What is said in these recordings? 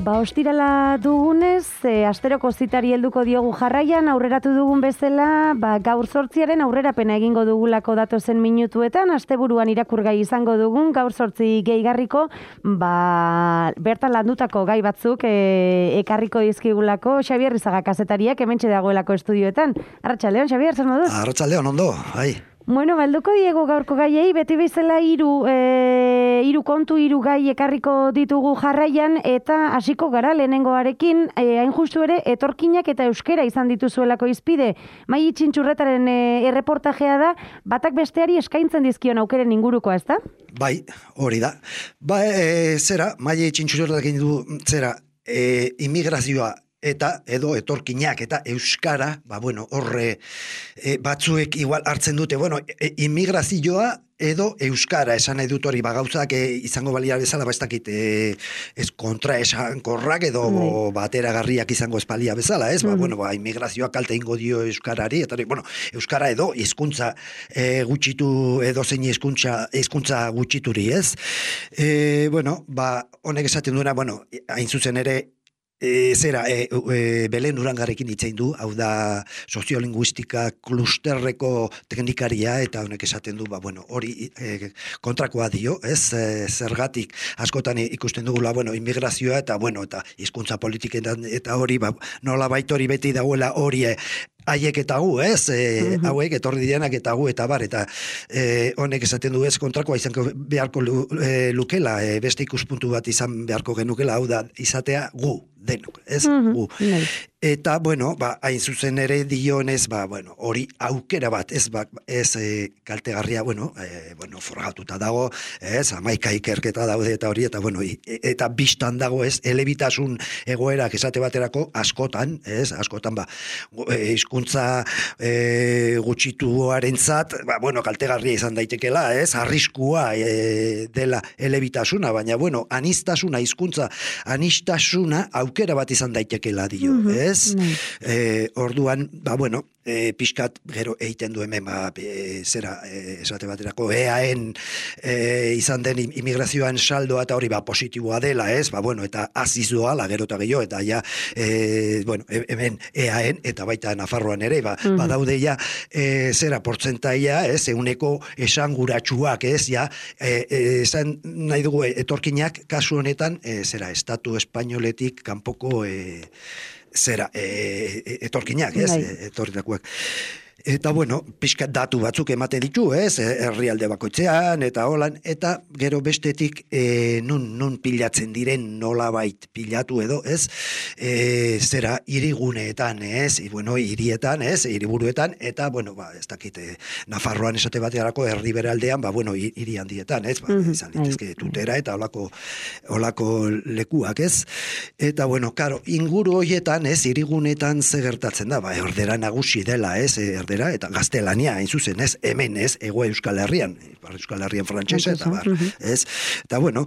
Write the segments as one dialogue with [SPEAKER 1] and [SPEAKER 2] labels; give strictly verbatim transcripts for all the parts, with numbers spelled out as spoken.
[SPEAKER 1] Ba, ostirala dugunez, e, asteroko zitari helduko diogu jarraian, aurreratu dugun bezala, ba, gaur zortziaren aurrerapena egingo dugulako datozen minutuetan, asteburuan irakurgai izango dugun, gaur zortzi gehigarriko, ba, bertan landutako gai batzuk e, ekarriko dizkigulako Xabier Rizaga kazetariak hementxe dagoelako estudioetan. Arratsaldeon, Xabier, zer moduz?
[SPEAKER 2] Arratsaldeon, ondo, hai.
[SPEAKER 1] Bueno, balduko diego gaurko gaiei, beti bezala hiru e, hiru kontu, hiru gai ekarriko ditugu jarraian, eta hasiko gara lehenengoarekin, e, hain justu ere, etorkinak eta euskera izan dituzuelako izpide. Mai Txintxurretaren e, erreportajea da, batak besteari eskaintzen dizkion aukeren ingurukoa, ez da?
[SPEAKER 2] Bai, hori da. Ba, e, zera, Mai Txintxurretarekin du, zera, e, immigrazioa, eta edo etorkinak eta euskara, ba bueno, horre e, batzuek igual hartzen dute, bueno, e, immigrazioa edo euskara esan nahi dut hori, ba gauzak e, izango balia bezala, ba ez dakit e, ez kontra esankorrak edo mm. bateragarriak izango espalia bezala, ez? Mm. Ba bueno, ba immigrazioa kalte ingo dio euskarari, eta bueno, euskara edo hizkuntza e, gutxitu edo zein hizkuntza hizkuntza gutxituri, ez? E, bueno, ba honek esaten duena, bueno, hain zuzen ere E, zera, e, e, Belen Urangarekin hitzein du, hau da soziolinguistika klusterreko teknikaria, eta honek esaten du, ba, bueno, hori e, kontrakoa dio, ez, e, zergatik askotan ikusten dugula, bueno, immigrazioa, eta, bueno, eta hizkuntza politiketan, eta hori, ba, nola baitori beti dagoela hori, e, haiek eta gu, ez, e, uh-huh. hauek etorri direnak eta gu, eta bar, eta e, honek esaten du ez kontrakoa izango beharko lu, e, lukela, e, beste ikuspuntu bat izan beharko genukela, hau da, izatea gu, denok, ez, uh-huh. gu. Uh-huh. Eta, bueno, ba, hain zuzen ere dionez, ba, bueno, hori aukera bat, ez, ba, ez e, kaltegarria, bueno, e, bueno, forgatuta dago, ez, amaika ikerketa daude eta hori, eta, bueno, i, eta bistan dago, ez, elebitasun egoerak esate baterako askotan, ez, askotan, ba, hizkuntza e, gutxituarentzat, ba, bueno, kaltegarria izan daitekela, ez, arriskua e, dela elebitasuna, baina, bueno, anistasuna, hizkuntza anistasuna aukera bat izan daitekela dio, mm-hmm. ez? Mm. E, orduan, ba, bueno, e, pixkat gero egiten du hemen, ba, e, zera, e, esate baterako, eaen e, izan den immigrazioan saldoa eta hori, ba, positiboa dela, ez? Ba, bueno, eta aziz doa, la gero eta gehiago, eta ja, e, bueno, hemen eaen, eta baita Nafarroan ere, ba, mm-hmm. badaude ja, e, zera, portzentaia, ez? Euneko esanguratsuak, ez? Ja, e, e, esan nahi dugu, etorkinak, kasu honetan, e, zera, estatu espainoletik kanpoko e, zera, e, etorkinak, ez? E, etorritakoak. Eta, bueno, pixkat datu batzuk ematen ditu, ez? Herrialde bakoitzean, eta holan, eta gero bestetik e, nun, nun pilatzen diren nolabait pilatu edo, ez? E, zera, hiriguneetan, ez? I, bueno, hirietan, ez? Hiriburuetan, eta, bueno, ba, ez dakite, Nafarroan esate batearako herri beraldean, ba, bueno, hiri handietan, ez? Ba, mm-hmm. izan litezke Tutera eta olako, olako lekuak, ez? Eta, bueno, karo, inguru hoietan, ez? Hiriguneetan ze gertatzen da, ba, erdera nagusi dela, ez? Erdera eta gaztelania, hain zuzen, ez, hemen, ez, ego Euskal Herrian, Euskal Herrian frantsesa, eta bar, ez, eta bueno,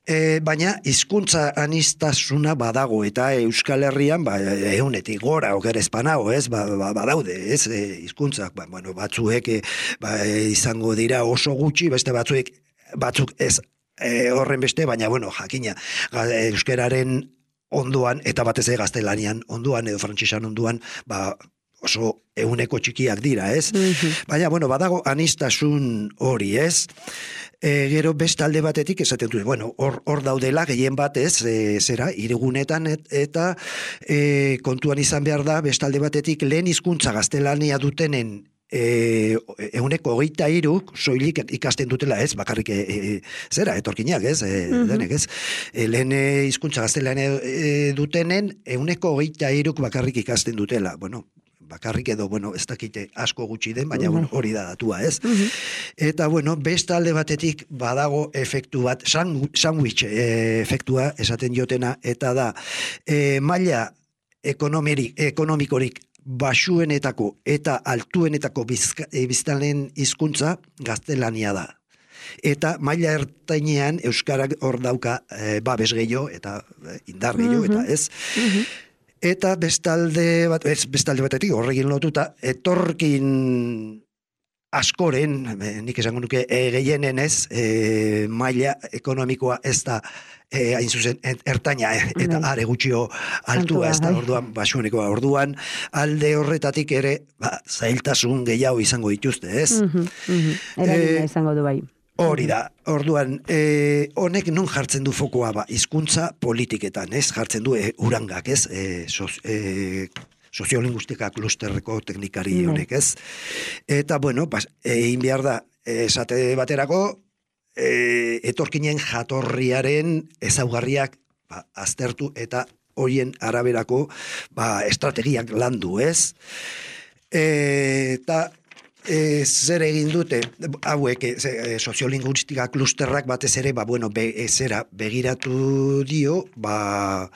[SPEAKER 2] e, baina hizkuntza anistasuna badago, eta Euskal Herrian, ba, eunetik gora, oker espanago, ez, ba, ba, badaude, ez, hizkuntzak, ba, bueno, batzuek, e, ba, izango dira oso gutxi, beste batzuek, batzuk ez, e, horren beste, baina, bueno, jakina, euskararen onduan, eta batez ere gaztelanian onduan, edo frantsesan onduan, ba, oso euneko txikiak dira, ez? Mm-hmm. Baina, bueno, badago anistasun hori, ez? E, gero bestalde batetik esaten du, bueno, hor, hor daudela gehien bat, ez? E, zera, hirigunetan et, eta e, kontuan izan behar da, bestalde batetik lehen hizkuntza gaztelania dutenen E, euneko hogeita hiruk soilik ikasten dutela, ez, bakarrik e, e, zera, etorkinak, ez, e, mm-hmm. denek, ez, e, lehen hizkuntza gaztelania e, dutenen euneko hogeita hiruk bakarrik ikasten dutela, bueno, bakarrik edo, bueno, ez dakite asko gutxi den, baina, bueno, hori da datua, ez? Mm-hmm. Eta, bueno, beste alde batetik badago efektu bat, sandwich e, efektua esaten jotena, eta da, e, maila ekonomikorik basuenetako eta altuenetako biztanleen hizkuntza gaztelania da. Eta maila ertainean euskarak hor dauka e, babes gehiago eta e, indar gehiago, mm-hmm. eta ez. Mm-hmm. Eta bestalde bat, ez, bestalde batetik horrekin lotuta, etorkin askoren, nik esango nuke, e, gehienen ez, e, maila ekonomikoa ez da, e, hain zuzen, ertaina, e, eta are gutxio altua, ez da, orduan, basunekoa, orduan, alde horretatik ere, ba, zailtasun gehiago izango dituzte, ez?
[SPEAKER 1] Mm-hmm, mm-hmm. Eragina e, izango du bai.
[SPEAKER 2] Hori da, orduan, e, honek non jartzen du fokoa, ba, hizkuntza politiketan, ez? Jartzen du e, urangak, ez? E, soz, e, soziolinguistika klusterreko teknikari honek, ez? Eta, bueno, pas, egin behar da, esate baterako, e, etorkinen jatorriaren ezaugarriak ba, aztertu eta horien araberako ba, estrategiak landu, ez? E, eta e, zer egin dute, hauek, e, soziolinguistika klusterrak batez ere, ba, bueno, be, zera, begiratu dio, ba,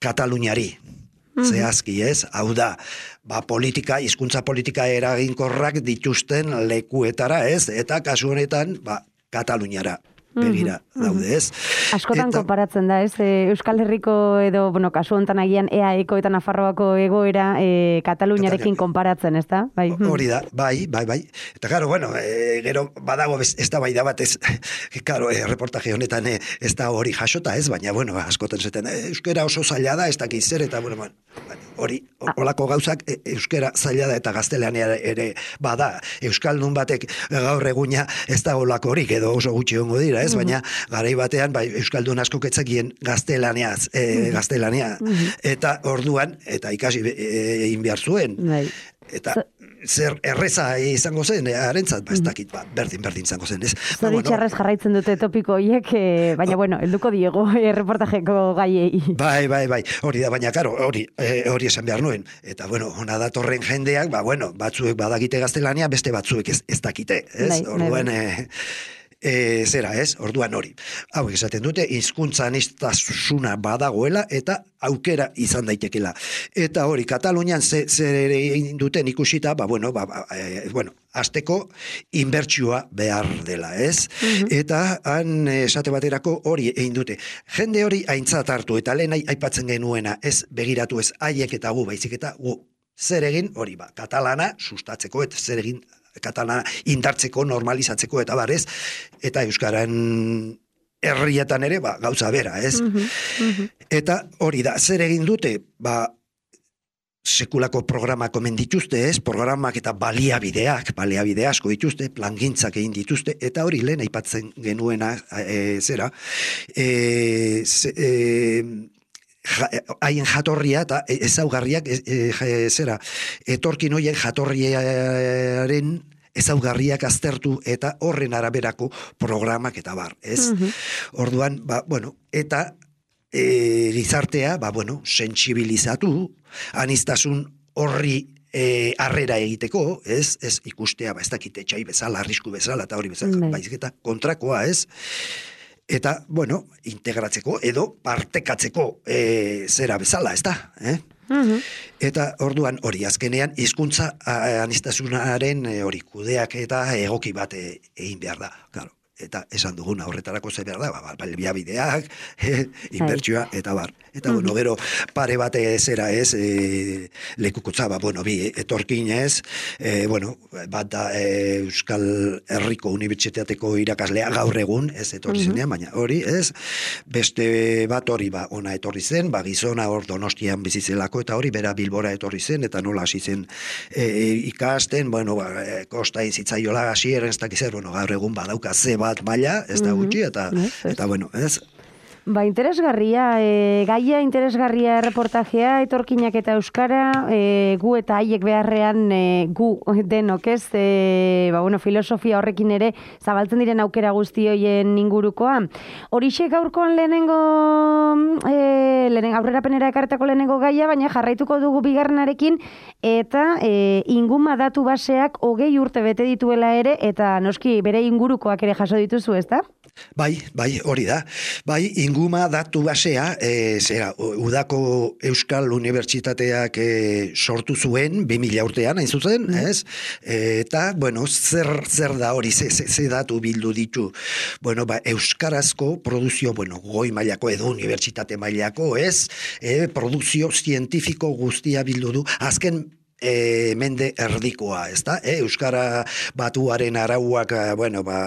[SPEAKER 2] Kataluniari. Zehazki, ez? Hau da, ba, politika, hizkuntza politika eraginkorrak dituzten lekuetara, ez? Eta kasu honetan, ba, Kataluniara begira daude, ez?
[SPEAKER 1] Askotan eta, konparatzen da, ez? Euskal Herriko edo, bueno, kasu honetan agian E A Eko eta Nafarroako egoera e, Kataluniarekin konparatzen, ez da? Bai.
[SPEAKER 2] Hori da, bai, bai, bai. Eta gero, bueno, e, gero badago ez da bai da bat, ez, karo, e, reportaje honetan e, ez da hori jasota, ez? Baina, bueno, askotan zeten, e, euskera oso zaila da, ez dakiz zer, eta, bueno, man, hori, olako gauzak e, euskera zaila da eta gaztelean ere bada. Euskaldun batek gaur eguna ez da olako horik, edo oso gutxi hongo dira, ez? Baina garai batean bai euskaldun asko ketzakien gaztelaniaz, e, gaztelania eta orduan eta ikasi egin behar zuen. Eta zer erreza izango zen, harentzat, ba, ez dakit, ba, berdin, berdin izango zen, ez?
[SPEAKER 1] Zoritxarrez jarraitzen dute topiko hiek, eh, baina, bueno, helduko diego eh, reportajeko gaiei.
[SPEAKER 2] Bai, bai, bai, hori da, baina, karo, hori, eh, hori esan behar nuen. Eta, bueno, hona datorren jendeak, ba, bueno, batzuek badakite gaztelania, beste batzuek ez, ez dakite, ez? Bai, orduan, bai, bai. Eh, E, zera, ez? Orduan hori. Hau esaten dute, hizkuntza aniztasuna badagoela eta aukera izan daitekela. Eta hori, Katalunian zer egin duten ikusita, ba, bueno, ba, e, bueno, azteko inbertsioa behar dela, ez? Uh-huh. Eta han esate baterako hori egin dute. Jende hori aintzat hartu, eta lehen aipatzen genuena, ez begiratu ez haiek eta gu, baizik eta gu, zer egin hori, ba, katalana sustatzeko, eta zer egin katalana indartzeko, normalizatzeko eta barez, eta euskaran herrietan ere, ba, gauza bera, ez? Uh-huh, uh-huh. Eta hori da, zer egin dute, ba, sekulako programak omen dituzte, ez? Programak eta baliabideak, baliabide asko dituzte, plangintzak egin dituzte, eta hori lehen aipatzen genuena, e, zera, e, ze, e, haien jatorria eta ezaugarriak e, e, zera, etorkin hoien jatorriaren ezaugarriak aztertu eta horren araberako programak eta bar, ez? Uh-huh. Orduan, ba, bueno, eta e, gizartea, ba, bueno, sentsibilizatu, aniztasun horri e, arrera egiteko, ez? Ez ikustea, ba, ez dakite txai bezala, arrisku bezala, eta hori bezala, mm. baizik eta kontrakoa, ez? Eta, bueno, integratzeko edo partekatzeko e, zera bezala, ez da? Eh? Uh-huh. Eta orduan hori, azkenean, hizkuntza aniztasunaren hori kudeak eta egoki bat egin behar da, claro. Eta esan duguna horretarako ze behar da, ba, baliabideak, eh, inbertsioa, eta bar. Eta, bueno, gero pare bate zera ez, e, lekukotza, ba, bueno, bi etorkin ez, e, bueno, bat da e, Euskal Herriko Unibertsitateko irakaslea gaur egun, ez etorri zenean, baina hori, ez, beste bat hori, ba, ona etorri zen, ba, gizona hor Donostian bizizelako, eta hori, bera Bilbora etorri zen, eta nola hasi zen e, ikasten, bueno, ba, e, kosta izitzaiola hasi eren, ez dakizer, bueno, gaur egun badauka ze bat maila, ez da gutxi, eta, eta bueno, ez?
[SPEAKER 1] Ba, interesgarria, e, gaia interesgarria reportajea, etorkinak eta euskara, e, gu eta haiek beharrean e, gu denok ez, e, ba, bueno, filosofia horrekin ere zabaltzen diren aukera guzti hoien ingurukoa. Horixe gaurkoan lehenengo, e, lehen, aurrerapenera ekartako lehenengo gaia, baina jarraituko dugu bigarrenarekin, eta e, inguma datu baseak hogei urte bete dituela ere, eta noski bere ingurukoak ere jaso dituzu, ez da?
[SPEAKER 2] Bai, bai, hori da. Bai, inguma datu basea, e, zera, udako Euskal Unibertsitateak e, sortu zuen, bi mila urtean, hain zuzen, mm. ez? E, eta, bueno, zer, zer da hori, ze, ze, ze datu bildu ditu. Bueno, ba, euskarazko produzio, bueno, goi mailako edo unibertsitate mailako, ez? E, produzio zientifiko guztia bildu du. Azken e, mende erdikoa, ez da? E, Euskara batuaren arauak, bueno, ba,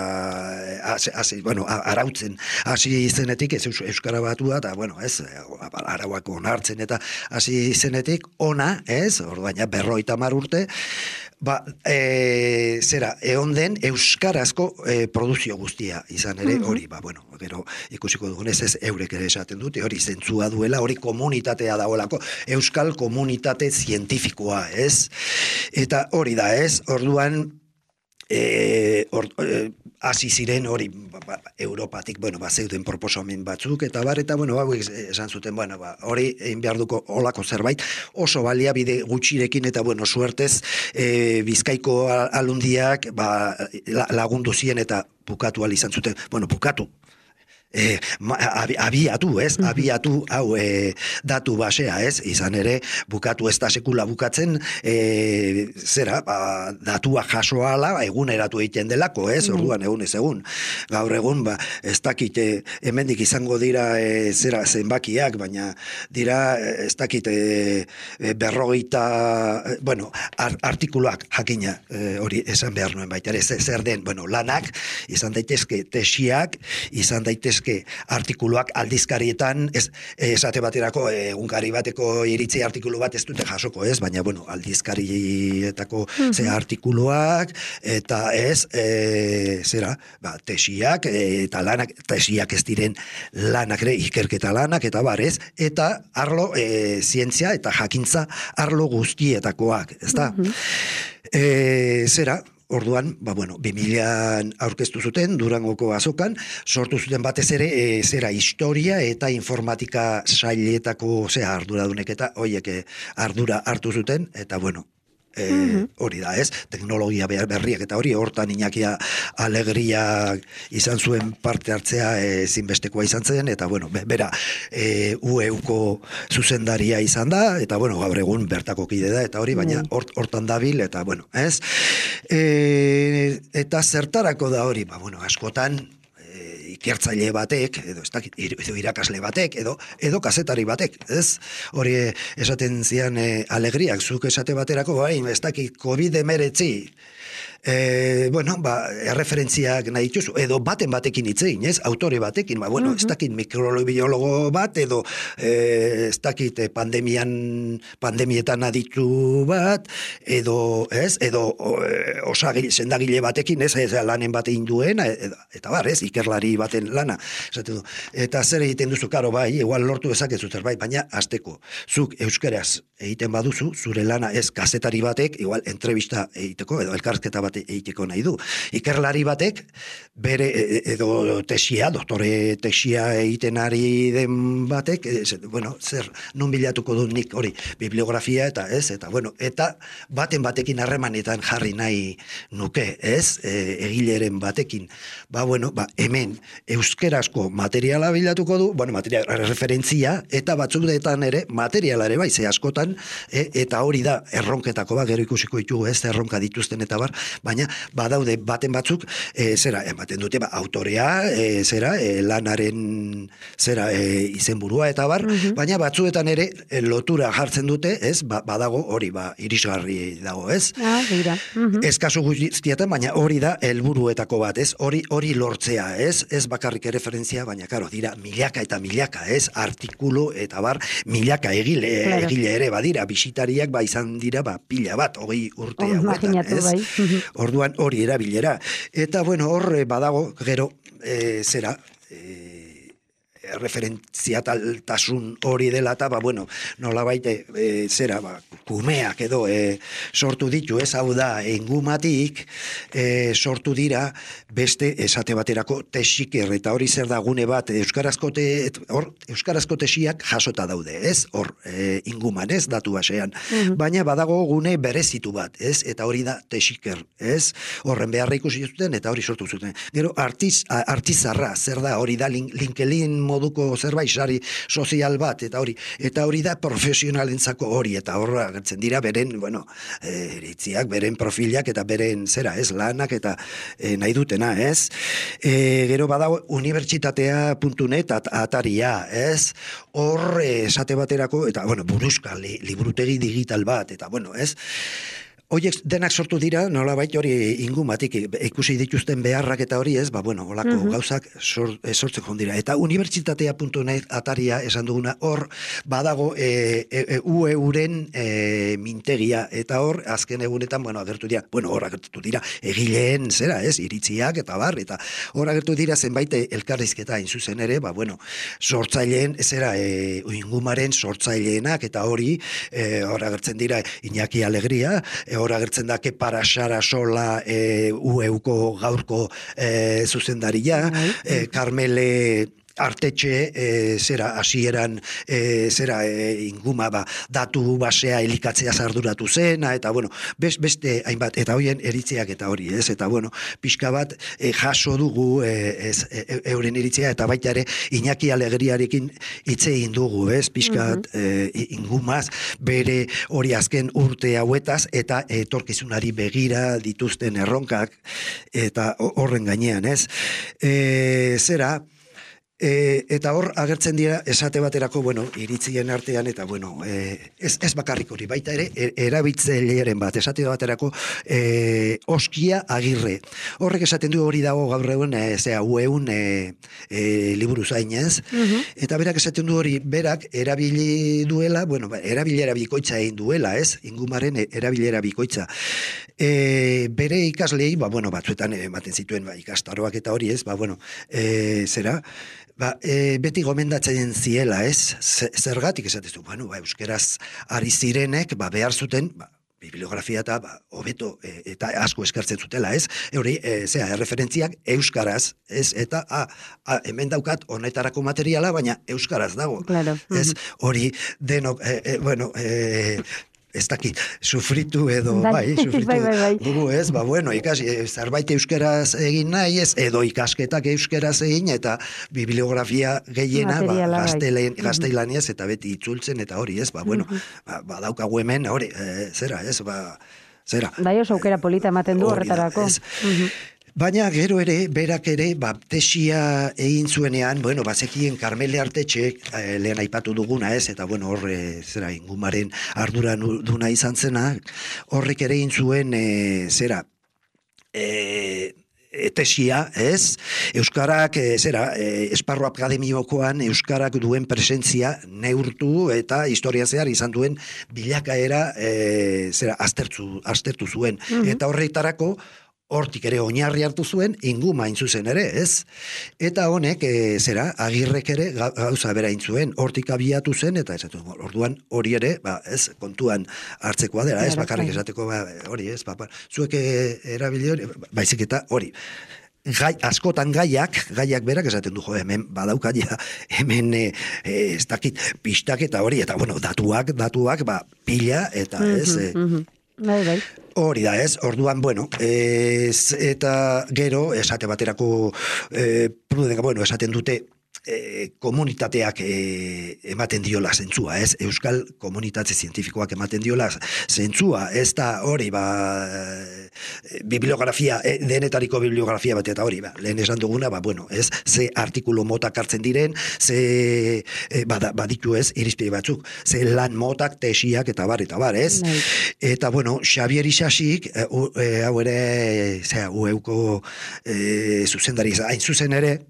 [SPEAKER 2] hasi, hasi, bueno, arautzen hasi izenetik, ez Euskara batua, eta, bueno, ez, arauak onartzen, eta hasi izenetik, ona, ez, ordaina berroita mar urte, ba, e, zera, egon den euskarazko e, produzio guztia izan ere, hori, ba, bueno, gero ikusiko dugunez ez eurek ere esaten dute, hori zentzua duela, hori komunitatea dagoelako, euskal komunitate zientifikoa, ez? Eta hori da, ez? Orduan, E, or, e, hasi ziren hori ba, ba, Europatik, bueno, ba, zeuden proposamen batzuk, eta bar, eta, bueno, hauek esan zuten, bueno, ba, hori egin behar duko olako zerbait, oso baliabide gutxirekin, eta, bueno, suertez, e, Bizkaiko alundiak, ba, lagundu zien, eta bukatu al izan zuten, bueno, bukatu, E, ma, abi, abiatu, ez? Abiatu, hau, e, datu basea, ez? Izan ere, bukatu ez da sekula bukatzen, e, zera, ba, datua jasoala, eguneratu egiten delako, ez? Orduan, egun ez egun. Gaur egun, ba, ez dakit, e, hemendik izango dira, e, zera, zenbakiak, baina dira, ez dakit, e, berrogeita, e, bueno, ar, artikuluak jakina, e, hori esan behar nuen baita, ez, zer den, bueno, lanak, izan daitezke tesiak, izan daitezke artikuluak aldizkarietan, ez, esate baterako egunkari bateko iritzi artikulu bat ez dute jasoko, ez, baina, bueno, aldizkarietako mm-hmm. ze artikuluak, eta ez, e, zera, ba, tesiak, e, eta lanak, tesiak ez diren lanak ere, ikerketa lanak, eta bar, ez, eta arlo e, zientzia eta jakintza arlo guztietakoak, ez da? Mm-hmm. E, zera, orduan, ba, bueno, bi milaan aurkeztu zuten, Durangoko azokan, sortu zuten batez ere, e, zera, historia eta informatika sailetako, zera, arduradunek eta hoiek ardura hartu zuten, eta, bueno, e, mm-hmm. hori da, ez? Teknologia berriak eta hori, hortan Iñakia Alegria izan zuen parte hartzea e, zinbestekoa izan zen, eta, bueno, bera, e, U E Uko zuzendaria izan da, eta, bueno, gaur egun bertako kide da, eta hori, baina hort, hortan dabil, eta, bueno, ez? E, eta zertarako da hori, ba, bueno, askotan, ikertzaile batek, edo, ez dakit, edo irakasle batek, edo, edo kazetari batek, ez? Hori esaten zian e, Alegriak, zuk esate baterako, bai, ez dakit, COVID emeretzi, e, bueno, ba, erreferentziak nahi dituzu, edo baten batekin hitzein, ez? Autore batekin, ba, bueno, uh-huh. ez dakit mikrobiologo bat, edo e, ez dakit pandemian, pandemietan aditu bat, edo, ez? Edo e, osagile, sendagile batekin, ez? Ez lanen bat egin duen, eta, eta bar, ez? Ikerlari baten lana, esate du. Eta zer egiten duzu, karo, bai, igual lortu dezakezu zerbait, baina hasteko, zuk euskaraz egiten baduzu, zure lana ez kazetari batek, igual entrevista egiteko, edo elkarrizketa bat egiteko nahi du. Ikerlari batek, bere, edo tesia, doktore tesia egiten ari den batek, ez, bueno, zer, non bilatuko du nik hori, bibliografia eta ez, eta bueno, eta baten batekin harremanetan jarri nahi nuke, ez, e, egileren batekin, ba, bueno, ba, hemen euskerazko materiala bilatuko du, bueno, material referentzia, eta batzuetan ere, materiala ere bai, ze askotan, e, eta hori da, erronketako ba, gero ikusiko ditugu, ez, erronka dituzten eta bar, baina badaude baten batzuk, e, zera, ematen dute, ba, autorea, e, zera, e, lanaren, zera, e, izenburua eta bar, mm-hmm. baina batzuetan ere e, lotura jartzen dute, ez, ba, badago hori, ba, irisgarri dago, ez?
[SPEAKER 1] Ah, dira. Mm-hmm.
[SPEAKER 2] Ez kasu guztietan, baina hori da helburuetako bat, ez? Hori hori lortzea, ez? Ez bakarrik erreferentzia, baina karo, dira milaka eta milaka, ez? Artikulu eta bar, milaka egile, claro. egile ere badira, bisitariak ba izan dira, ba, pila bat, hogei urte
[SPEAKER 1] oh,
[SPEAKER 2] hauetan, ez?
[SPEAKER 1] Bai.
[SPEAKER 2] Orduan hori erabilera. Eta, bueno, hor badago, gero, e, zera, e, referentziataltasun hori dela eta, ba, bueno, nola baite, e, zera, ba, kumeak edo e, sortu ditu, ez hau da, engumatik e, sortu dira beste esate baterako tesiker, eta hori zer da gune bat, euskarazko, te, hor, euskarazko tesiak jasota daude, ez? Hor, e, inguman, ez? Datu basean. Mm-hmm. Baina badago gune berezitu bat, ez? Eta hori da tesiker, ez? Horren beharra ikusi zuten, eta hori sortu zuten. Gero, artiz, artizarra, zer da, hori da, link, linkelin moduko zerbait, sari sozial bat, eta hori, eta hori da profesionalentzako hori, eta horra agertzen dira beren, bueno, e, iritziak, beren profilak, eta beren, zera, ez, lanak, eta e, nahi dutena, ez? E, gero badago unibertsitatea puntu net at, ataria, ez? Hor, esate baterako, eta, bueno, buruzka, li, liburutegi digital bat, eta, bueno, ez? Hoiek denak sortu dira, nolabait hori ingumatik ikusi dituzten beharrak eta hori ez, ba, bueno, olako uh-huh. gauzak sor, e, sortzen joan dira. Eta unibertsitatea puntu net ataria esan duguna, hor badago e, e, e, U E-uren e, mintegia, eta hor azken egunetan, bueno, agertu dira, bueno, hor agertu dira egileen, zera, ez, iritziak eta bar, eta hor agertu dira zenbait elkarrizketa hain zuzen ere, ba, bueno, sortzaileen, zera, e, ingumaren sortzaileenak, eta hori, e, hor agertzen dira Iñaki Alegria, e, hor agertzen da Kepa Sarasola e, U E-uko gaurko e, zuzendaria, e, Carmele Artetxe, e, zera, hasieran e, zera, e, inguma, ba, datu basea elikatzea arduratu zena, eta, bueno, best, beste hainbat, eta hoien eritziak eta hori, ez, eta, bueno, pixka bat e, jaso dugu, e, ez, e, euren iritzia, eta baita ere, Iñaki Alegriarekin hitz egin dugu, ez, pixka bat, uh-huh. e, ingumaz, bere hori azken urte hauetaz, eta etorkizunari begira dituzten erronkak, eta horren gainean, ez, e, zera, E, eta hor agertzen dira esate baterako, bueno, iritzien artean, eta bueno, e, ez, ez bakarrik hori, baita ere, er, erabiltzailearen bat, esate baterako e, Oskia Agirre. Horrek esaten du hori dago gaur egun, e, zera, U E-un e, e, liburu zainez, uh-huh. eta berak esaten du hori, berak erabili duela, bueno, erabilera bikoitza egin duela, ez? Ingumaren erabilera bikoitza. E, bere ikaslei, ba, bueno, batzuetan ematen zituen ba, ikastaroak eta hori, ez? Ba, bueno, e, zera, Ba, e, beti gomendatzen ziela, ez? Zergatik esatezu, bueno, ba, euskeraz ari zirenek, ba, behar zuten, ba, bibliografia eta ba, hobeto e, eta asko eskertzen zutela, ez? Euri, e, zera, erreferentziak euskaraz, ez? Eta, a, a, hemen daukat honetarako materiala, baina euskaraz dago.
[SPEAKER 1] Claro.
[SPEAKER 2] Ez? Hori, denok, e, e, bueno, e, ez dakit, sufritu edo, bai, bai sufritu
[SPEAKER 1] bai, bai, bai.
[SPEAKER 2] dugu, ez, ba, bueno, ikasi, zerbait euskeraz egin nahi, ez, edo ikasketak euskeraz egin, eta bibliografia gehiena, ba, gazteilan, gazteilaniaz, eta beti itzultzen, eta hori, ez, ba, bueno, ba, ba daukagu hemen, hori, e, zera, ez, ba, zera.
[SPEAKER 1] Bai, oso aukera polita ematen du horretarako.
[SPEAKER 2] Baina gero ere, berak ere, ba, tesia egin zuenean, bueno, bazekien Carmele Artetxe, eh, lehen aipatu duguna ez, eta bueno, horre, zera, ingumaren ardura duna izan zena, horrek ere egin zuen, e, zera, e, tesia, ez? Euskarak, e, zera, e, esparru akademiokoan Euskarak duen presentzia neurtu eta historia zehar izan duen bilakaera, e, zera, aztertu, aztertu zuen. Mm-hmm. Eta horretarako, hortik ere oinarri hartu zuen, inguma hain zuzen ere, ez? Eta honek, e, zera, Agirrek ere gauza bera hain zuen, hortik abiatu zen, eta ez, orduan hori ere, ba, ez, kontuan hartzekoa dela, ez, bakarrik esateko, ba, hori, ez, ba, zuek erabili hori, baizik eta hori. Gai, askotan gaiak, gaiak berak esaten du, jo, hemen badaukaia, hemen e, ez dakit, pistak eta hori, eta bueno, datuak, datuak, ba, pila, eta ez, e,
[SPEAKER 1] mm-hmm. Bai, bai.
[SPEAKER 2] Hori da, ez? Orduan, bueno, ez, eta gero, esate baterako, e, prudenka, bueno, esaten dute, e, komunitateak e, ematen diola zentzua, ez? Euskal komunitate zientifikoak ematen diola zentzua, ez da hori, ba, bibliografia, e, denetariko bibliografia bat, eta hori, ba, lehen esan duguna, ba, bueno, ez? Ze artikulu motak hartzen diren, ze, e, bada, baditu ez, irizpide batzuk, ze lan motak, tesiak, eta bar, eta bar, ez? Bai. Eta, bueno, Xabier Isasik, e, e, hau ere, zera, U E-uko e, zuzendari, hain zuzen ere,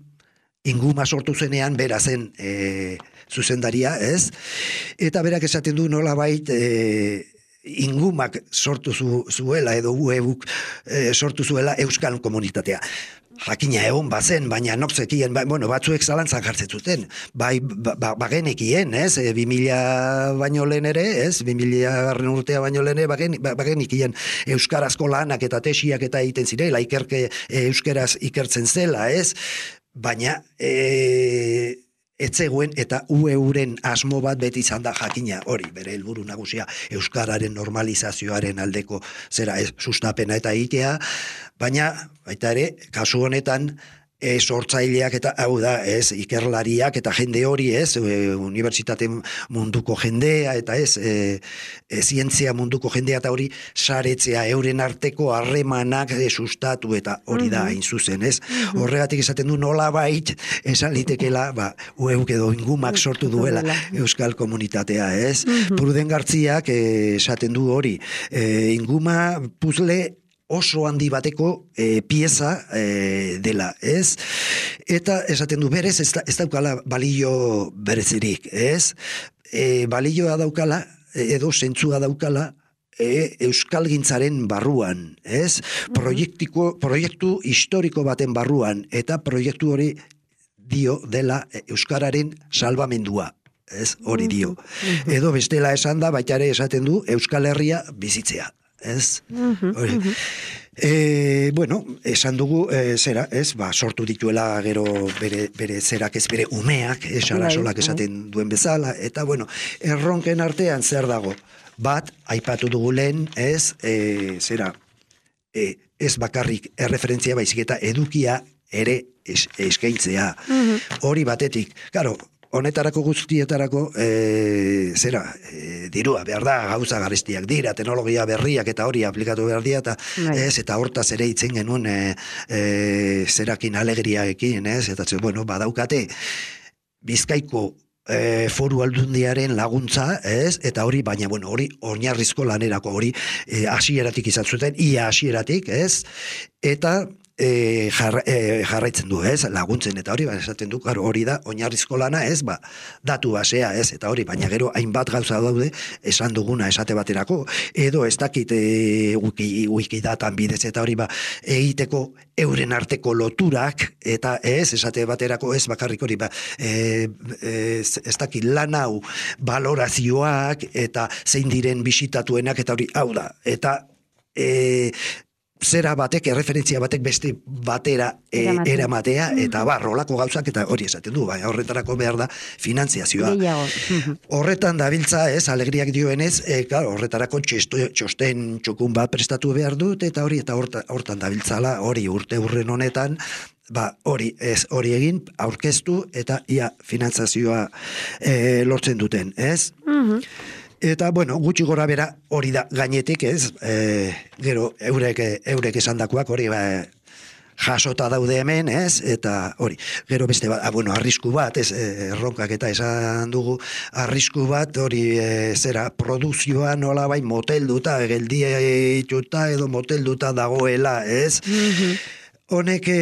[SPEAKER 2] inguma sortu zenean, bera zen e, zuzendaria, ez? Eta berak esaten du nolabait, e, ingumak sortu zu, zuela, edo U E-uk e, sortu zuela Euskal komunitatea. Jakina egon bazen, baina nokzekien, ba, bueno, batzuek zalantzak hartzen zuten, bai, ba, ba, bagenekien, ez, e, bi mila baino lehen ere, ez, bi mila garren urtea baino lehen ere, bagen, ba, bagenekien euskarazko lanak eta tesiak eta egiten zirela, ikerke e, euskaraz ikertzen zela, ez, baina, e, etzegoen eta U E-uren asmo bat beti izan da jakina, hori, bere helburu nagusia euskararen normalizazioaren aldeko zera ez, sustapena eta egitea, baina baita ere, kasu honetan e, sortzaileak eta hau da, ez, ikerlariak eta jende hori, ez, e, unibertsitate munduko jendea eta ez, e, e, zientzia munduko jendea eta hori saretzea euren arteko harremanak e, sustatu eta hori da hain zuzen, ez. Horregatik esaten du nolabait esan litekela, ba, ueuk edo ingumak sortu duela euskal komunitatea, ez. Pruden Gartziak e, esaten du hori, e, inguma puzle oso handi bateko e, pieza e, dela, ez? Eta esaten du berez, ez, da, ez daukala balio berezirik, ez? E, balioa daukala, edo zentzua daukala, e, euskalgintzaren barruan, ez? Proiektiko, proiektu historiko baten barruan, eta proiektu hori dio dela euskararen salbamendua. Ez, hori dio. Edo bestela esan da, baita ere esaten du Euskal Herria bizitzea. Ez? Hori. E, bueno, esan dugu, e, zera, ez, ba, sortu dituela gero bere, bere zerak ez bere umeak, esala solak esaten duen bezala, eta bueno, erronken artean zer dago? Bat, aipatu dugu lehen, ez, e, zera, e, ez bakarrik erreferentzia baizik eta edukia ere es, eskaintzea. Hori batetik, claro, honetarako guztietarako, e, zera, e, dirua, behar da, gauza garestiak dira, teknologia berriak eta hori aplikatu behar dira, eta ez, eta hortaz ere itzen genuen e, e, zerakin alegriaekin, ez, eta ze, bueno, badaukate, Bizkaiko e, foru aldundiaren laguntza, ez, eta hori, baina, bueno, hori oinarrizko lanerako, hori e, hasieratik izan zuten, ia hasieratik, ez, eta E, jarra, e, jarraitzen du, ez, laguntzen eta hori, ba, esaten du, claro, hori da, oinarrizko lana, ez, ba, datu basea, ez, eta hori, baina gero hainbat gauza daude, esan duguna esate baterako, edo ez dakit e, wiki, wikidatan bidez, eta hori, ba, egiteko euren arteko loturak, eta ez, esate baterako, ez, bakarrik hori, ba, e, e, ez dakit lan hau, balorazioak, eta zein diren bisitatuenak, eta hori, hau da, eta e, zera batek, erreferentzia batek beste batera e, eramatea, eta bar, rolako gauzak, eta hori esaten du, bai, horretarako behar da finantziazioa. Horretan dabiltza, ez, alegriak dioenez, e, claro, horretarako txesto, txosten txokun bat prestatu behar dut, eta hori, eta horta, hortan dabiltzala, hori urte urren honetan, ba, hori, ez, hori egin, aurkeztu, eta ia finantzazioa e, lortzen duten, ez? Eta, bueno, gutxi gora bera hori da gainetik, ez, e, gero eurek, eurek esandakoak hori ba, jasota daude hemen, ez, eta hori, gero beste bat, ah, bueno, arrisku bat, ez, erronkak eta esan dugu, arrisku bat, hori, e, zera, produzioa nola bai motelduta, geldiatuta edo motelduta dagoela, ez, honek e,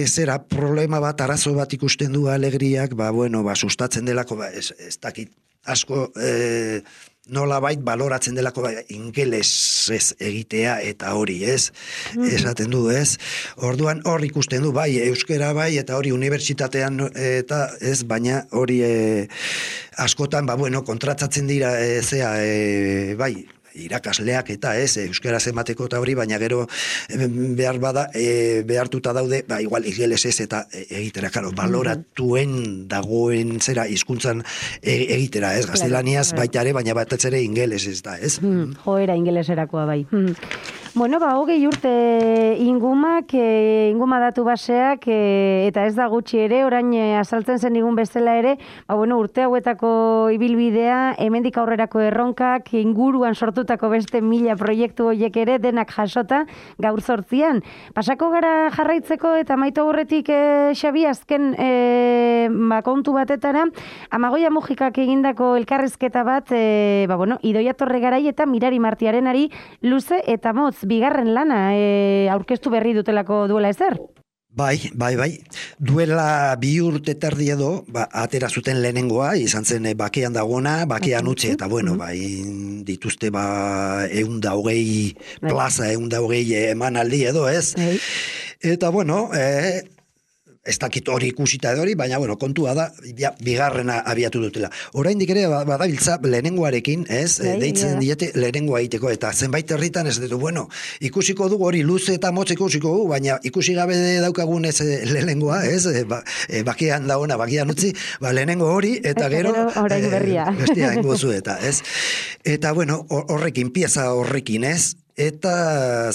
[SPEAKER 2] zera, problema bat, arazo bat ikusten du alegriak, ba, bueno, ba, sustatzen delako, ba, ez, ez dakit, asko, e, nola bait baloratzen delako ba, ingelesez egitea eta hori, ez? Esaten du, ez? Orduan hor ikusten du, bai, euskera bai, eta hori unibertsitatean eta ez, baina hori e, askotan, ba, bueno, kontratzatzen dira, e, zea, e, bai, irakasleak eta ez, euskera emateko eta hori, baina gero behar bada, e, behartuta daude, ba, igual ingelesez eta egitera, karo, baloratuen dagoen zera hizkuntzan egitera, ez, gaztelaniaz baita ere, baina bat ere ingeles ez da, ez?
[SPEAKER 1] Hmm, joera ingeleserakoa bai. Hmm. Bueno, ba, hogei urte ingumak, e, inguma datu baseak, e, eta ez da gutxi ere, orain e, azaltzen zen digun bestela ere, ba, bueno, urte hauetako ibilbidea, hemendik aurrerako erronkak, inguruan sortutako beste mila proiektu horiek ere, denak jasota gaur zortzian. Pasako gara jarraitzeko eta maitu aurretik e, Xabi, azken e, ba, kontu batetara, Amagoia Mujikak egindako elkarrizketa bat, e, ba, bueno, Idoia Torregarai eta Mirari Martiarenari luze eta motz, bigarren lana e, aurkeztu berri dutelako duela ezer?
[SPEAKER 2] Bai, bai, bai. Duela bi urte terdi edo, ba, atera zuten lehenengoa, izan zen bakean dagoena, bakean utzi, eta bueno, bai, dituzte ba, eunda hogei plaza, eunda hogei emanaldi edo, ez? Eta bueno, e, ez dakit hori ikusita edo hori, baina, bueno, kontua da, ja, bigarrena abiatu dutela. Oraindik ere, badabiltza, lehenengoarekin, ez, Bai, deitzen yeah. diete lehenengoa egiteko, eta zenbait herritan ez ditu, bueno, ikusiko dugu hori luze eta motz ikusiko dugu, baina ikusi gabe daukagun ez lehenengoa, ez, e, ba, e, bakean dagoena, bakean utzi, ba, lehenengo hori, eta gero,
[SPEAKER 1] orain berria.
[SPEAKER 2] E, bestia ingozu eta, ez. Eta, bueno, horrekin, pieza horrekin, ez, eta,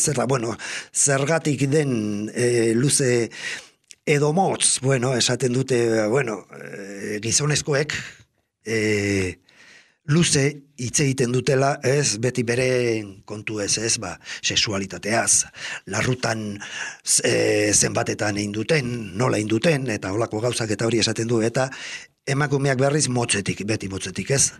[SPEAKER 2] zer da, bueno, zergatik den e, luze edo motz, bueno, esaten dute, bueno, e, gizonezkoek e, luze hitz egiten dutela, ez, beti bere kontu ez, ez, ba, sexualitateaz, larrutan e, zenbatetan egin duten, nola egin duten, eta holako gauzak eta hori esaten du, eta emakumeak berriz motzetik, beti motzetik, ez?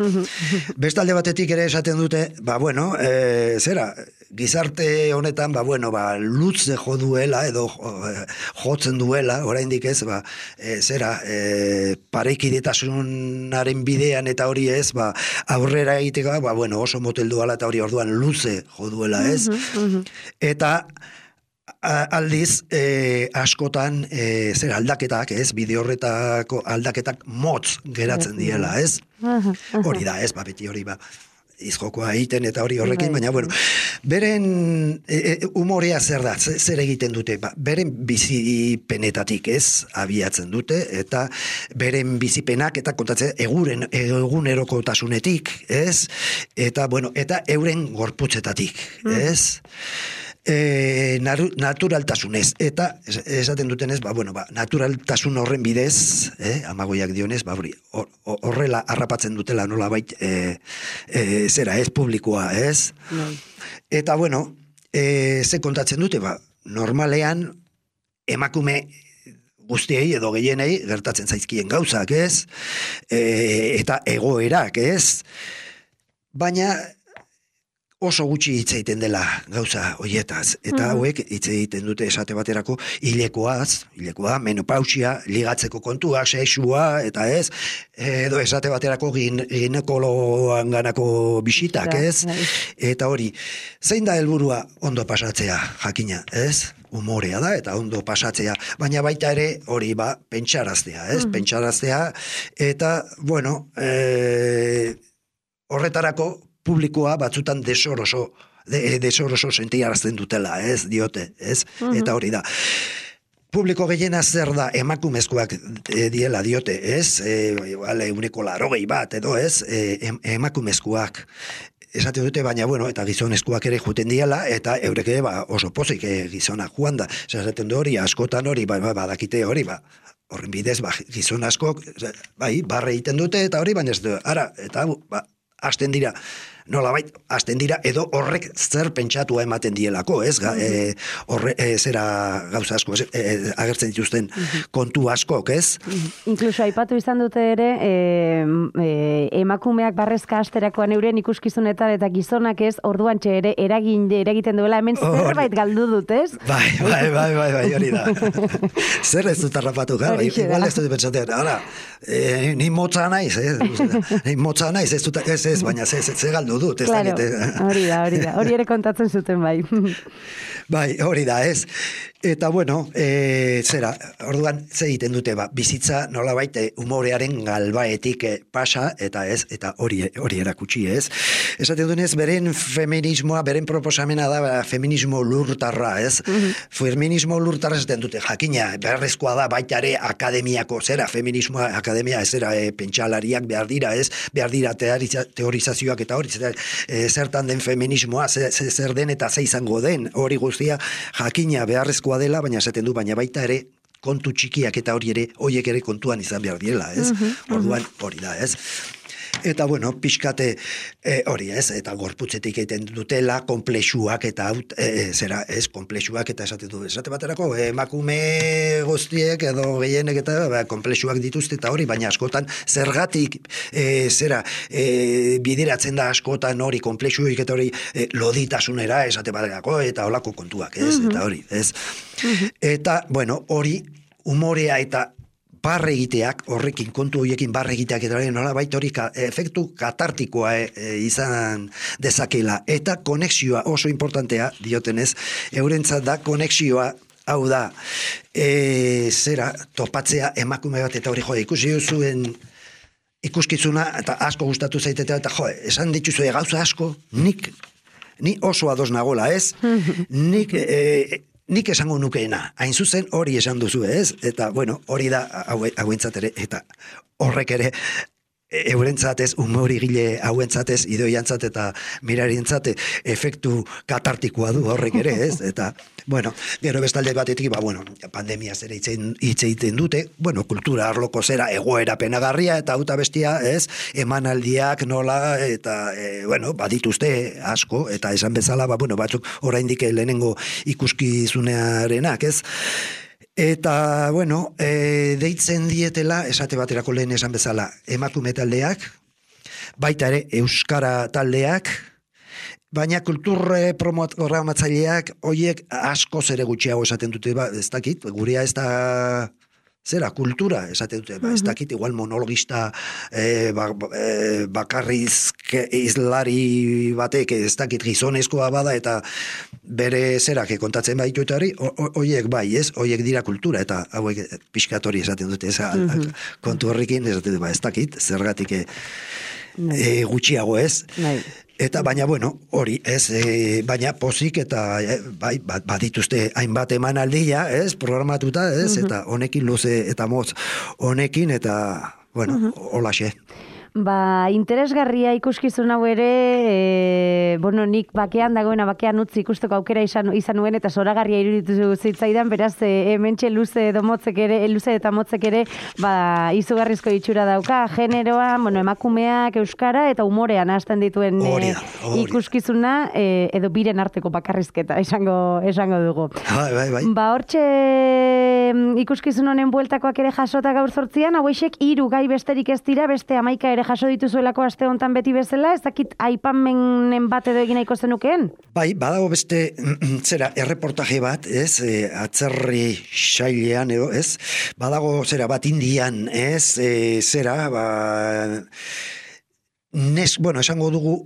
[SPEAKER 2] Bestalde batetik ere esaten dute, ba, bueno, e, zera, gizarte honetan, ba, bueno, ba, lutze jo duela, edo jotzen duela, oraindik ez, ba, e, zera, e, parekidetasunaren bidean eta hori ez, ba, aurrera egiteko, ba, bueno, oso motel duela eta hori orduan luze jo duela, ez? Eta aldiz, e, askotan, e, zer aldaketak, ez, bide horretako aldaketak motz geratzen diela, ez? Hori da, ez, ba, beti hori, ba, izjokoa egiten eta hori horrekin, baina, bueno, beren e, e, humorea zer da, zer egiten dute, ba, beren bizipenetatik, ez, abiatzen dute, eta beren bizipenak, eta kontatzen, eguren, egunerokotasunetik, ez, eta, bueno, eta euren gorputzetatik, ez? E, naturaltasunez, eta esaten dutenez, ba, bueno, ba, naturaltasun horren bidez, eh, amagoiak dionez, ba, hori, horrela harrapatzen dutela nola bait, e, e, zera, ez, publikoa, ez? No. Eta, bueno, e, ze kontatzen dute, ba, normalean, emakume guztiei edo gehienei gertatzen zaizkien gauzak, ez? E, eta egoerak, ez? Baina, oso gutxi hitz egiten dela gauza hoietaz, eta mm. hauek hitz egiten dute esate baterako hilekoaz, hilekoa, menopausia, ligatzeko kontuak, sexua, eta ez, edo esate baterako gin, ginekologan ganako bisitak, ez? Eta hori, zein da helburua ondo pasatzea, jakina, ez? Humorea da, eta ondo pasatzea, baina baita ere hori ba, pentsaraztea, ez? Mm. Pentsaraztea, eta, bueno, e, horretarako, publikoa batzutan desoroso, de, desoroso sentiarazten dutela, ez, diote, ez, uh-huh. Eta hori da. Publiko gehiena zer da emakumezkoak e, diela diote, ez, e, vale, uneko larogei bat, edo ez, e, em, emakumezkoak, esate dute, baina, bueno, eta gizonezkoak ere juten diela, eta eureke ba, oso pozik e, gizonak joan da, esaten du hori, askotan hori, ba, ba, badakite hori, ba, horren bidez, ba, gizon askok, bai, barre egiten dute, eta hori, baina ez du, ara, eta, ba, hasten dira, nolabait, hasten dira, edo horrek zer pentsatua ematen dielako, ez? Ga, e, horre, e, zera gauza asko, e, agertzen dituzten kontu askok, ez?
[SPEAKER 1] Inkluso aipatu izan dute ere, e, e, emakumeak barrezka asterakoan euren ikuskizunetan eta gizonak ez, orduan txe ere eragin eragiten duela hemen zerbait galdu dut, ez?
[SPEAKER 2] Bai, bai, bai, bai, bai, hori da. Zer ez dut harrapatu, gara, igual ez dut pentsatzen, ara, e, ni motza naiz, ez? Ni motza naiz, ez dut, ez, ez, baina ze, ze galdu dut, ez
[SPEAKER 1] claro, da, hori da, hori da, hori ere kontatzen zuten bai.
[SPEAKER 2] Bai, hori da, ez. Eta, bueno, e, zera, orduan, ze egiten dute, ba, bizitza nolabait humorearen galbaetik e, pasa, eta ez, eta hori hori erakutsi, ez. Esaten duenez, beren feminismoa, beren proposamena da, ba, feminismo lurtarra, ez. Mm-hmm. Feminismo lurtarra esaten dute, jakina, beharrezkoa da, baita ere akademiako, zera, feminismoa, akademia, ez zera, e, pentsalariak behar dira, ez, behar dira teorizazioak eta hori, zera, e, zertan den feminismoa, zer, zer den eta ze izango den, hori guztia, jakina, beharrezkoa dela, baina esaten du, baina baita ere kontu txikiak eta hori ere, horiek ere kontuan izan behar diela, ez? Uh-huh, uh-huh. Orduan hori da, ez? Eta, bueno, pixkate e, hori, ez? Eta gorputzetik egiten dutela, konplexuak eta, e, zera, ez, konplexuak eta esaten du, esate baterako, emakume guztiek edo gehienek eta ba, konplexuak dituzte eta hori, baina askotan zergatik, e, zera, e, bideratzen da askotan hori, konplexuik eta hori, e, loditasunera esate baterako eta holako kontuak, ez? Uh-huh. Eta hori, ez? Uh-huh. Eta, bueno, hori, humorea eta barre egiteak, horrekin, kontu horiekin barre egiteak eta nola baita hori ka, efektu katartikoa e, e, izan dezakela. Eta konexioa oso importantea, diotenez, eurentzat da konexioa, hau da, e, zera, topatzea emakume bat eta hori jo, ikusi duzuen ikuskizuna, eta asko gustatu zaitetea, eta jo, esan dituzue gauza asko, nik, ni oso ados nagola, ez? Nik, e, nik esango nukeena, hain zuzen hori esan duzu, ez? Eta, bueno, hori da hauentzat ere, eta horrek ere eurentzat ez, humorigile hauentzat ez, idoiantzat eta mirarientzat efektu katartikoa du horrek ere, ez? Eta, bueno, gero bestalde batetik, ba, bueno, pandemia zera hitz egiten dute, bueno, kultura arloko zera egoera penagarria, eta auta bestia, ez? Emanaldiak nola, eta, e, bueno, badituzte asko, eta esan bezala, ba, bueno, batzuk oraindik lehenengo ikuskizunearenak, ez? Eta, bueno, e, deitzen dietela, esate baterako lehen esan bezala, emakume taldeak, baita ere euskara taldeak, baina kulturre programatzaileak hoiek asko zere gutxiago esaten dute, ba, ez dakit, gurea ez da zera, kultura esaten dute, ba, ez dakit, igual monologista e, ba, e, bakarriz izlari batek, ez dakit gizonezkoa bada, eta bere zerak kontatzen baitu eta hori, hoiek bai, ez, hoiek dira kultura, eta hauek pixkatori esaten dute, ez, mm-hmm. kontu horrekin, esaten dute, ba, ez dakit, zergatik e, e, gutxiago ez, Nei. Eta baina, bueno, hori, ez, e, baina pozik eta e, bai, badituzte hainbat emanaldia, ez, programatuta, ez, mm-hmm. eta honekin luze eta motz honekin, eta, bueno, mm-hmm. holaxe.
[SPEAKER 1] Ba, interesgarria ikuskizun hau ere, e, bueno, nik bakean dagoena, bakean utzi ikusteko aukera izan, izan nuen, eta zoragarria iruditu zitzaidan, beraz, e, hementxe luze edo motzek ere, luze eta motzek ere, ba, izugarrizko itxura dauka, generoa, bueno, emakumeak, euskara, eta umorean hasten dituen e, ikuskizuna, e, edo biren arteko bakarrizketa, esango, esango dugu.
[SPEAKER 2] Bai, bai, bai.
[SPEAKER 1] Ba, hortxe ikuskizun honen bueltakoak ere jasota gaur zortzian, hauexek hiru gai besterik ez dira, beste hamaika ere jaso dituzuelako aste hontan beti bezala, ez dakit aipamenen bat edo egin nahiko zenukeen?
[SPEAKER 2] Bai, badago beste, zera, erreportaje bat, ez, e, atzerri xailean edo, ez, badago, zera, bat Indian, ez, e, zera, ba, nes, bueno, esango dugu,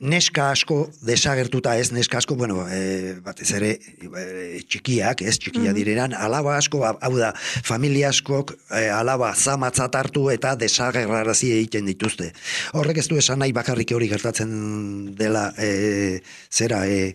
[SPEAKER 2] neska asko desagertuta ez, neska asko, bueno, e, batez ere e, txikiak, ez, txikia direnan, alaba asko, hau da, familia askok e, alaba zamatzat hartu eta desagerrarazi egiten dituzte. Horrek ez du esan nahi bakarrik hori gertatzen dela, e, zera, e,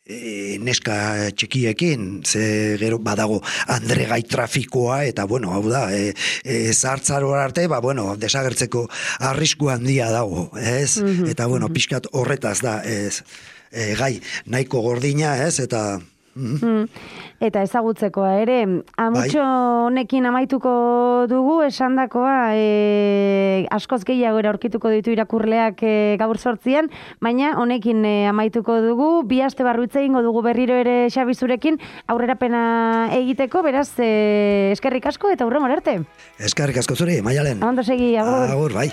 [SPEAKER 2] E, neska txikiekin, ze gero badago andregai trafikoa, eta bueno, hau da, e, e, zartzaro arte, ba, bueno, desagertzeko arrisku handia dago, ez? Mm-hmm. Eta bueno, pixkat horretaz da, ez, e, gai, nahiko gordina, ez, eta... Mm.
[SPEAKER 1] Eta ezagutzekoa ere, amutxo honekin amaituko dugu, esandakoa, e, askoz gehiago aurkituko ditu irakurleak e, gaur sortzian, baina honekin e, amaituko dugu, bi aste barru hitz egingo dugu berriro ere Xabizurekin aurrerapena egiteko, beraz, e, eskerrik asko eta hurrengo arte.
[SPEAKER 2] Eskerrik asko zuri, Maialen.
[SPEAKER 1] Ondo segi, agur.
[SPEAKER 2] Agur, bai.